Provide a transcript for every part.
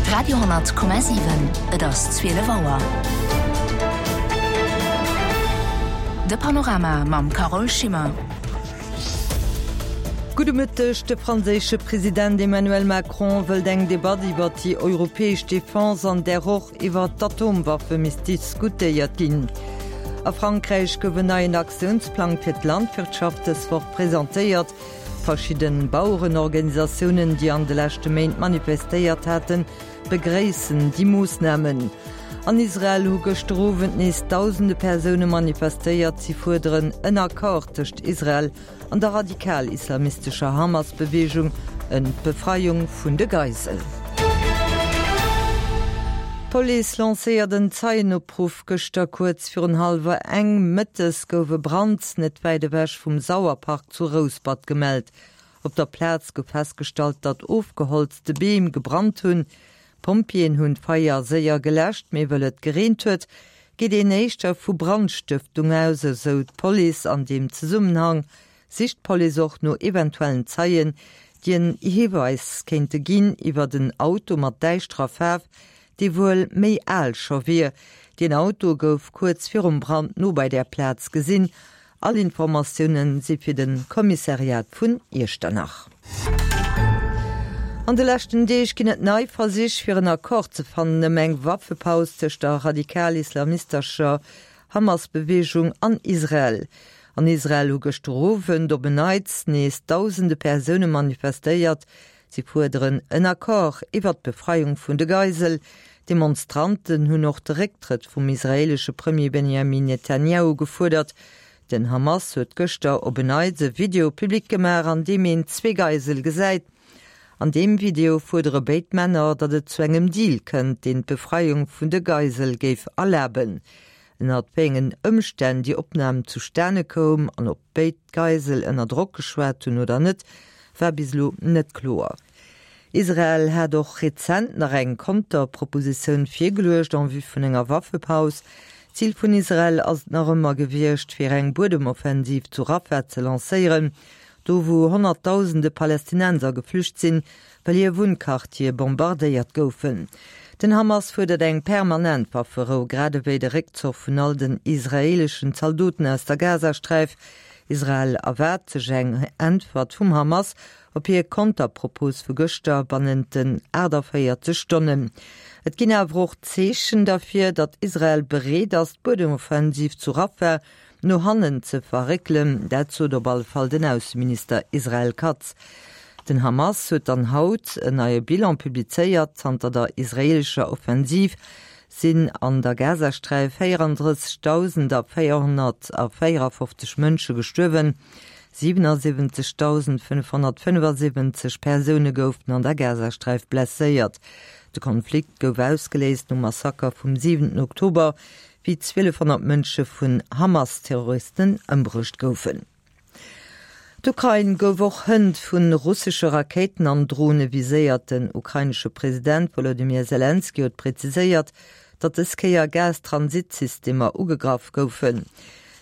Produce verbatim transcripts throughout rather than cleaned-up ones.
Radio honnert Komma siwen, Et ass zwielef Auer. De Panorama mam Carole Schimmer. Gudde Mëtteg, De franséische President Emmanuel Macron wëllt eng Debatt iwwer déi europäesch Defense, an där och iwwer d'Atomwaffe misst diskutéiert ginn. A Frankräich gouf en neien Aktiounsplang fir d'Landwirtschaft dës Woch presentéiert. Verschidde Bauerenorganisatiounen, déi an de leschte Méint manifestéiert haten, begréissen déi Moossnamen. An Israel hu gëschter Owend nees dausende Persoune manifestéiert. Si fuerderen en Accord tëscht Israel an der radikal-islamistescher Hamas-Beweegung ëm d'Befreiung vun de Geiselen. D'Police lancéiert en Zeienopruff. Gëschter kuerz virun hallwer eng mëttes gouf e Brand net wäit ewech vum Sauerpark zu Rouspert gemellt. Op der Plaz gouf festgestallt, datt ofgeholzte Beem gebrannt hunn. D'Pompjeeën hunn d'Feier séier geläscht, mee wëll et gereent huet, geet een éischter vu Brandstëftung aus, esou d'Police. An deem Zesummenhang sicht d'Police och no eventuellen Zeien, déi en Hiweis kéinte ginn iwwert en Auto mat däischterer Faarf, dee wuel méi al scho wier. Deen Auto gouf kuerz virum Brand no bei där Plaz gesinn. All Informatioune si fir de Kommissariat vun Iechternach. An de leschten Deeg ginn et nei Versich, fir en Accord ze fannen ëm eng Waffepaus tëscht der radikal-islamistescher Hamas-Beweegung an Israel. An Israel hu gëschter Owend op en Neits nees dausende Persoune manifestéiert. Si fuerderen en Accord iwwert d'Befreiung vun de Geisel. D'Demonstranten hunn och de Récktrëtt vum israeelesche Premier Benjamin Netanjahu gefuerdert. Den Hamas huet gëschter op en Neits e Video public gemaach, an deem een zwee Geisel gesäit. An deem Video fuerdere béid Männer, datt et zu engem Deal kënnt, deen d'Befreiung vun de Geisel géif erlaben. Ënnert wéi engen Ëmstänn déi Opnam zustane koum an ob béid Geisel ënner Drock geschwat hunn oder net, war bis elo net kloer. Israel hat och rezent nach eng Konterpropositioun virgeluecht en vue vun enger Waffepaus. Zil vun Israel ass et nach ëmmer gewiescht, fir eng Buedemoffensiv zu Rafah ze lancéieren, do wou Honnertdausende Palästinenser geflücht sinn, well hir Wunnquartiere bombardéiert goufen. Den Hamas fuerdert eng permanent Wafferou, grad ewéi de Réckzuch vun all den israeeleschen Zaldoten aus der Gazasträif. Israel erwaart sech eng Äntwert vum Hamas op hir Konterpropos vu gëschter bannent den aachtavéierzeg Stonnen. Et ginn awer och Zeechen derfir, datt Israel bereet ass, d'Buedemoffensiv zu Rafah no hannen ze verréckelen. Dat sot op alle Fall den Ausseminister Israel Katz. Den Hamas huet dann haut en neie Bilan publizéiert, Zanter der israeelescher Offensiv sinn an der Gazasträif véierandrëssegdausendvéierhonnertvéierafofzeg Mënsche gestuerwen, siwenasiwwenzegdausendfënnfhonnertfënnefasiwwenzeg Persoune goufen an der Gazasträif blesséiert. De Konflikt gouf ausgeléist nom Massaker vum siwenten Oktober, wéi zwielefhonnert Mënsche vun Hamas-Terroristen ëmbruecht goufen. D'Ukrain gouf och hënt vu russesche Rakéiten an Drone viséiert. Den ukrainesche President Wolodymyr Selenskyj huet präziséiert, datt dës Kéier Gastransit-Systemer ugegraff goufen.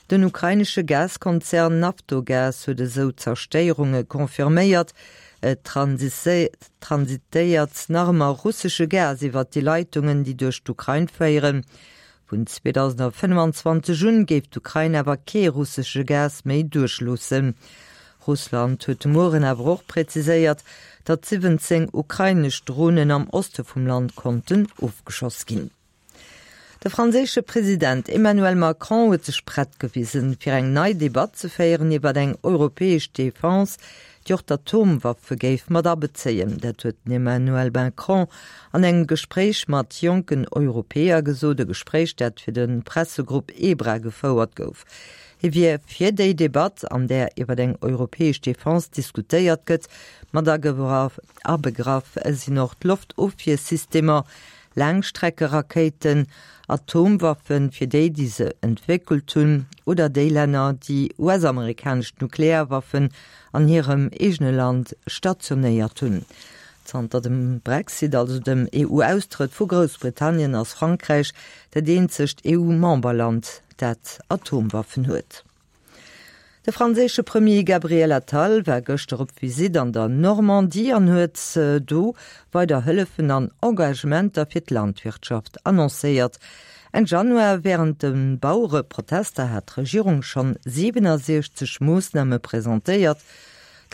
Den ukrainesche Gaskonzern Naftogaz huet esou Zerstéierunge confirméiert. Et transitéiert nach ëmmer russesche Gas iwwer déi Leitungen, déi duerch d'Ukrain féieren. Vun zweedausendfënnefenzwanzeg un géif d'Ukrain awer kee russesche Gas méi duerchloossen. Russland huet de Mueren awer och präziséiert, datt siwwenzéng ukrainesch Dronen am Oste vum Land konnten ofgeschoss ginn. De franséische President Emmanuel Macron huet sech prett gewisen, fir eng nei Debatt ze féieren iwwer eng europäesch Defense, déi och d'Atomwaffe géif mat abezéien. Dat huet den Emmanuel Macron an engem Gespréich mat jonken Europäer gesot, e Gespréich, dat fir de Pressegrupp EBRA gefouert gouf. Hie wier fir déi Debatt, an där iwwer eng europäesch Defense diskutéiert gëtt. Mat abegraff sinn och d'Loftofwiersystemer, Laangstreckerakéiten, Atomwaffen, fir déi, déi se entwéckelt hunn, oder déi Länner, déi U S-amerikanesch Nuklearwaffen an hirem eegene Land stationéiert hunn. Zanter dem Brexit, also dem E U-Austrëtt vu Groussbritannien, ass Frankräich dat eenzegt E U-Memberland, dat Atomwaffen huet. De franséische Premier Gabriel Attal war gëschter op Visitt an der Normandie an huet do weider Hëllefen an Engagementer fir d'Landwirtschaft annoncéiert. Enn Januar wärend de Bauereprotester hat d'Regierung schonn siwenansechzeg Moossname presentéiert.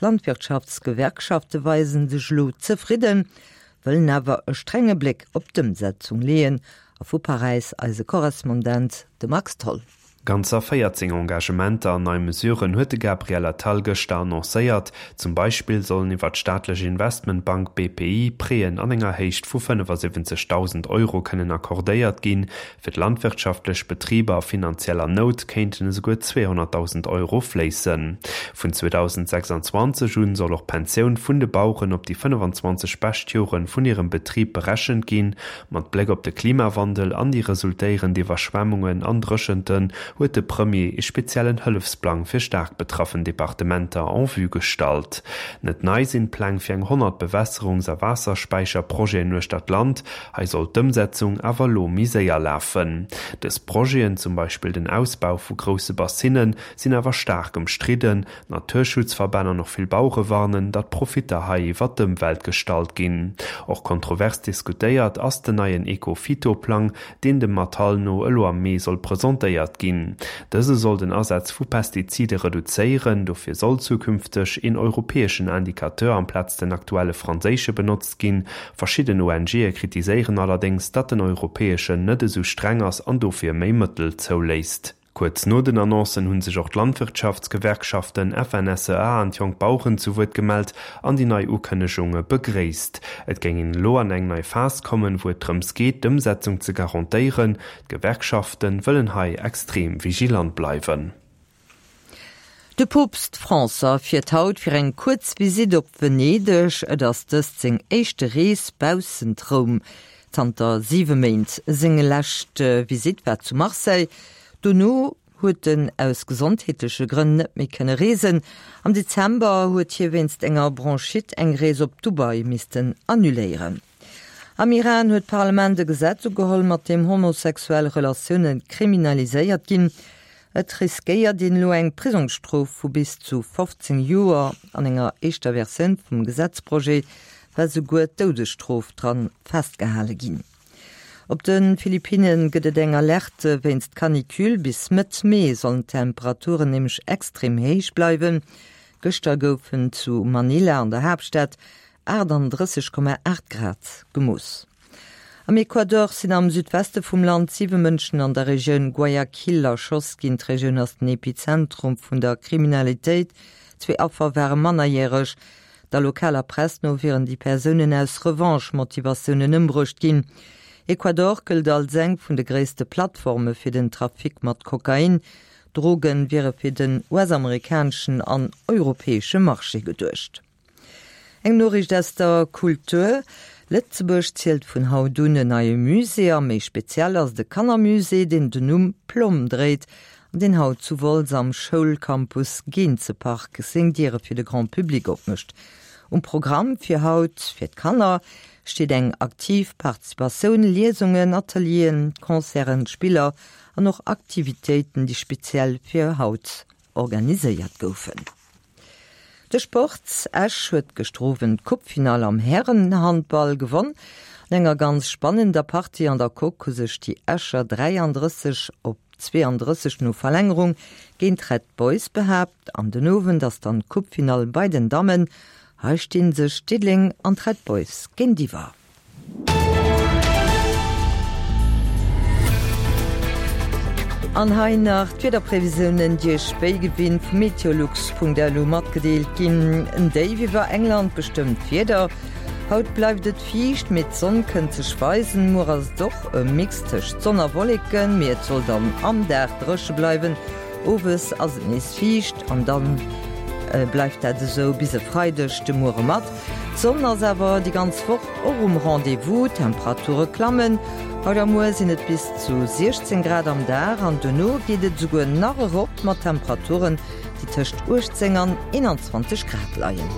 D'Landwirtschaftsgewerkschafte weise sech elo zefridden, wëllen awer e strenge Bléck op d'Ëmsetzung leeën. A vu Paräis eise Korrespondent, de Max Tholl. Ganzer véierzéng Engagementer an nei Mesuren huet de Gabriel Attal gëschter annoncéiert. Zum Beispill sollen iwwer d'staatlech Investmentbank B P I Prêten an enger Héicht vu fënnefasiwwenzegdausend Euro kënnen accordéiert ginn. Fir d'landwirtschaftlech Betriber a finanzieller Nout kéinten esouguer zweehonnertdausend Euro fléissen. Vun zweedausendsechsanzwanzeg un soll och d'Pensioun vun de Baueren op déi fënnefanzwanzeg bescht Jore vun hirem Betrib berechent ginn. Mat Bléck op de Klimawandel an déi resultéierend Iwwerschwemmungen an Dréchenten huet de Premier e speziellen Hëllefsplang fir staark betraffen Departementer en vue gestallt. Net nei sinn d'Pläng fir eng honnert Bewässerungs a Waasserspäicherprojeten uechter d'Land. Hei soll d'Ëmsetzung awer elo méi séier lafen. Dës Projeten, zum Beispill den Ausbau vu grousse Bassinen, sinn awer staark ëmstridden. Naturschutzverbänn an och vill Bauere warnen, datt Profitter hei iwwer d'Ëmwelt gestallt ginn. Och kontrovers diskutéiert ass den neien Ecophyto-Plang, deen dem Attal no elo am Mee soll presentéiert ginn. Dëse soll den Asaz vu Pestizide reduzéieren, dofir soll zukünfteg een europäeschen Indicateur amplaz den aktuelle franséische benotzt ginn. Verschidden O N G'e kritiséieren allerdéngs, datt den europäeschen net esou streng ass an dofir méi Mëttel zouléisst. Kuerz no den Annoncen hu sech och d'Landwirtschaftsgewerkschaften F N S E A an d'Jonk Baueren zu Wuert gemellt an déi nei Ukënnegunge begréisst. Et géing een elo an eng nei Phas kommen, wou et drëms geet, d'Ëmsetzung ze garantéieren. D'Gewerkschafte wëllen hei extrem vigilant bleiwen. De Poopst François fiert haut fir eng kuerz Visitt op Venedeg. Et ass dëst seng éischte Rees baussent Roum zanter siwe Méint. Seng lescht Visitt war zu Marseille. Dono huet en aus gesondheetleche Grënn net méi kënne reesen. Am Dezember huet hie wéinst enger Bronchite eng Rees op Dubai missten annuléieren. Am Iran huet d'Parlament e Gesetz ugeholl, mat deem homosexuell Relatioune kriminaliséiert ginn. Et riskéiert een elo eng Prisongsstrof vu bis zu fofzéng Joer. An enger éischter Versioun vum Gesetzprojet war souguer d'Doudesstrof dran festgehale ginn. Op de Philippinne gëtt et eng Alerte wéinst Canicule. Bis Mëtt Mee sollen d'Temperaturen nämlech extrem héich bleiwen. Gëschter goufen zu Manila an der Haaptstad achtandrësseg Komma aacht Grad gemooss. Am Ecuador sinn am Südweste vum Land siwe Mënschen an der Regioun Guayaquil erschoss ginn. D'Regioun ass den Epizentrum vun der Kriminalitéit. Zwee Affer ware mannerjäreg. Der lokaler Press no wieren déi Persounen aus Revanche-Motivatiounen ëmbruecht ginn. Ecuador gëllt als eng vun de gréisste Plattforme fir den Trafic mat Kokain. D'Droge wiere fir den U S-amerikaneschen an europäesche Marché geduecht. Eng Noriicht aus der Kultur, Lëtzebuerg zielt vun haut un en neie Musée a méi speziell ass de Kannermusée, deen den Numm Plomm dréit an deen haut zu Wolz am Schoulcampus Geenzepark seng Diere fir de Grand Public opmécht. Um Programm fir haut fir d'Kanner steet eng aktiv Participatioun, Liesungen, Atelieren, Concerten, Spiller an och Aktivitéiten, déi speziell fir haut organiséiert goufen. De Sport, Esch huet gëschter Owend d'Coupefinall am Härenhandball gewonn. An enger ganz spannender Partie an der Coque hu sech déi Escher dräiandrësseg op zweeandrësseg no Verlängerung géint d'Red Boys behaapt. An den Owend ass dann d'Coupefinall bei den Dammen. Hei stinn sech Diddeleng an d'Red Boys géintiwwer. An hei nach d'Wiederprevisiounen, déi Iech wéi gewinnt vu meteolux Punkt L U matgedeelt ginn. En Déif iwwer England bestëmmt d'Wieder. Haut bleift et fiicht, mee d'Sonn kënnt sech weisen. Muer ass et och e Mix tëscht Sonn a Wolleken, mee et soll dann am Dag dréche bleiwen. Owes ass et nees fiicht an dann bleift dat esou bis e Freideg de Muere mat. D'Sonn ass awer déi ganz Woch och um Rendez-vous, d'Temperature klammen. Haut a muer sinn et bis zu siechzéng Grad am Dag an dono geet et esouguer nach erop mat Temperaturen, déi tëscht uechtzéng an eenanzwanzeg Grad leien.